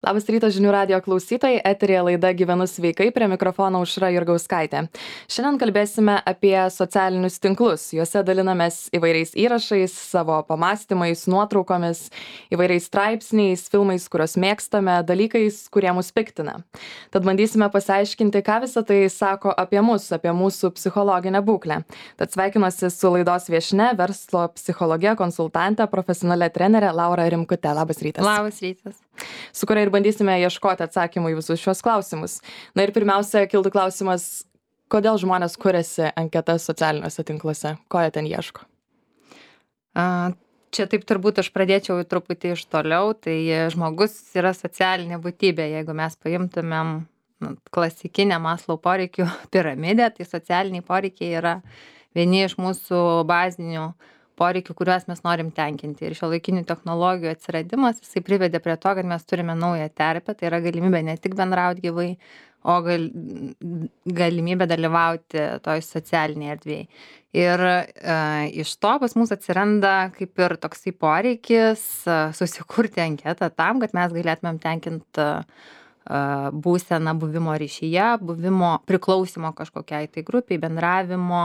Labas rytas žinių radijo klausytojai, eterėje laida Gyvenu sveikai, prie mikrofono Aušra Jurgauskaitė. Šiandien kalbėsime apie socialinius tinklus. Juose dalinamės įvairiais įrašais, savo pamastymais, nuotraukomis, įvairiais straipsniais, filmais, kuriuos mėgstame, dalykais, kurie mus piktina. Tad bandysime pasiaiškinti, ką visą tai sako apie mus, apie mūsų psichologinę būklę. Tad sveikinuosi su laidos viešnia, verslo psichologė, konsultantė, profesionalė trenerė Laura Rimkute. Labas rytas. Labas rytas. Su kuria ir bandysime ieškoti atsakymų į visus šios klausimus. Na ir pirmiausia, kiltų klausimas, kodėl žmonės kuriasi anketas socialiniuose tinkluose, ko jie ten ieško? Čia taip turbūt aš pradėčiau truputį iš toliau, tai žmogus yra socialinė būtybė. Jeigu mes paimtumėm klasikinę Maslow poreikių piramidę, tai socialiniai poreikiai yra vieni iš mūsų bazinių poreikių, kuriuos mes norim tenkinti. Ir šiuolaikinių technologijų atsiradimas, jisai privedė prie to, kad mes turime naują terpę, tai yra galimybė ne tik bendrauti gyvai, o galimybė dalyvauti toj socialinėje erdvėje. Ir iš to pas mus atsiranda kaip ir toksai poreikis susikurti anketą tam, kad mes galėtumėm tenkinti būseną buvimo ryšyje, buvimo priklausimo kažkokiai tai grupiai, bendravimo.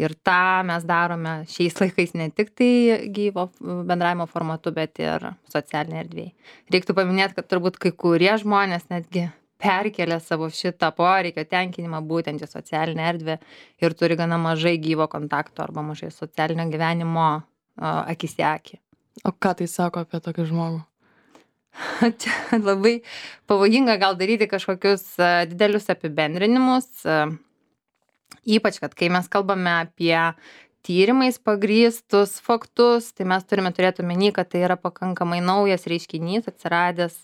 Ir tą mes darome šiais laikais ne tik tai gyvo bendravimo formatu, bet ir socialinėje erdvėje. Reiktų paminėti, kad turbūt kai kurie žmonės netgi perkelia savo šitą poreikio tenkinimą būtent į socialinę erdvę ir turi gana mažai gyvo kontakto arba mažai socialinio gyvenimo akis į akį. O ką tai sako apie tokį žmogų? Čia labai pavojinga gal daryti kažkokius didelius apibendrinimus. Ypač, kad kai mes kalbame apie tyrimais pagrįstus faktus, tai mes turime turėti omeny, kad tai yra pakankamai naujas reiškinys, atsiradęs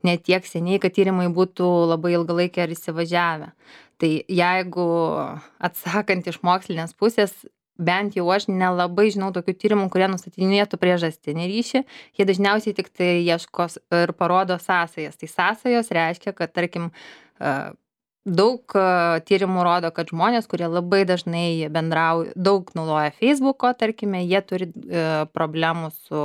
ne tiek seniai, kad tyrimai būtų labai ilgalaikiai ar įsivažiavę. Tai jeigu atsakant iš mokslinės pusės, bent jau aš nelabai žinau tokių tyrimų, kurie nustatinėtų priežastinį ryšį, jie dažniausiai tik tai ieško ir parodo sąsajas. Tai sąsajos reiškia, kad tarkim daug tyrimų rodo, kad žmonės, kurie labai dažnai bendrauja, daug naudoja Facebooko, tarkime, jie turi problemų su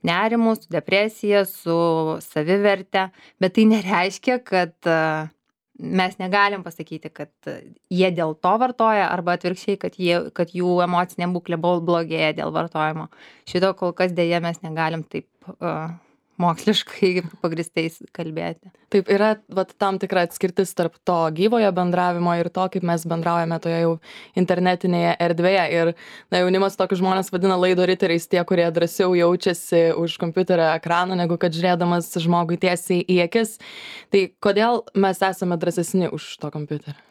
nerimu, su depresija, su saviverte, bet tai nereiškia, kad mes negalim pasakyti, kad jie dėl to vartoja arba atvirkščiai, kad jų emocinė būklė blogėja dėl vartojimo. Šito kol kas dėja mes negalim taip moksliškai pagrįstais kalbėti. Taip, yra tam tikra atskirtis tarp to gyvojo bendravimo ir to, kaip mes bendraujame toje jau internetinėje erdvėje. Ir jaunimas tokius žmonės vadina laido riteriais, tie, kurie drąsiau jaučiasi už kompiuterio ekrano, negu kad žiūrėdamas žmogui tiesiai į akis. Tai kodėl mes esame drąsesni už to kompiuterio?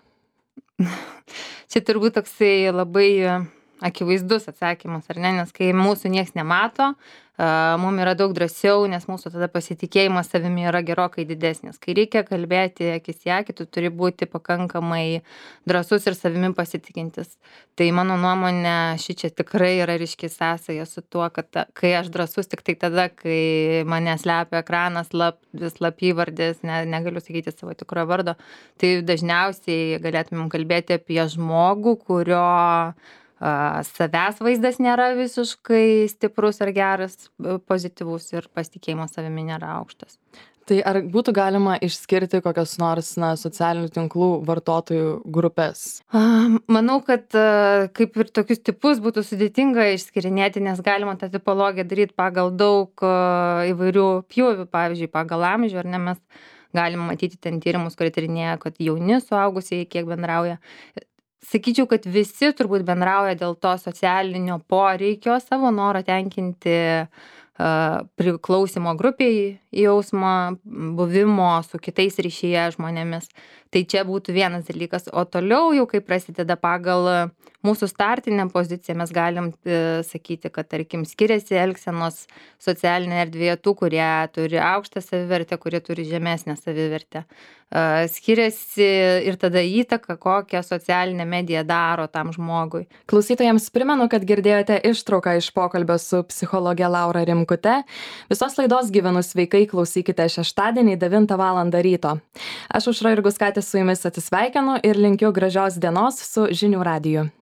Čia turbūt toksai labai akivaizdus atsakymas, ar ne? Nes kai mūsų nieks nemato, mums yra daug drąsiau, nes mūsų tada pasitikėjimas savimi yra gerokai didesnis. Kai reikia kalbėti akis į akį, tu turi būti pakankamai drąsus ir savimi pasitikintis. Tai mano nuomonė, šičia tikrai yra ryški sąsaja su tuo, kad kai aš drąsus tik tai tada, kai mane slepia ekranas, slapyvardis, negaliu sakyti savo tikrojo vardo, tai dažniausiai galėtumėm kalbėti apie žmogų, kurio savęs vaizdas nėra visiškai stiprus ar geras, pozityvus ir pasitikėjimas savimi nėra aukštas. Tai ar būtų galima išskirti kokias nors socialinių tinklų vartotojų grupės? Manau, kad kaip ir tokius tipus būtų sudėtinga išskirinėti, nes galima tą tipologiją daryti pagal daug įvairių pjūvių, pavyzdžiui, pagal amžių, ar ne, mes galim matyti ten tyrimus, kurie tyrinėja, kad jauni suaugusieji kiek bendrauja. Sakyčiau, kad visi turbūt bendrauja dėl to socialinio poreikio, savo noro tenkinti priklausimo grupiai jausmą, buvimo su kitais ryšyje žmonėmis. Tai čia būtų vienas dalykas. O toliau jau, kai prasideda pagal mūsų startinę poziciją, mes galim sakyti, kad, tarkim, skiriasi elgsenos socialinė erdvėje tų, kurie turi aukštą savivertę, kurie turi žemesnę savivertę. Skiriasi ir tada įtaka, kokią socialinę mediją daro tam žmogui. Klausytojams primenu, kad girdėjote ištrauką iš pokalbio su psichologe Laura Rimkute. Visos laidos Gyvenu sveikai klausykite šeštadienį 9 val. Ryto. Aš Aušra Jurgauskaitė su jumis atsisveikinu ir linkiu gražios dienos su žinių radiju.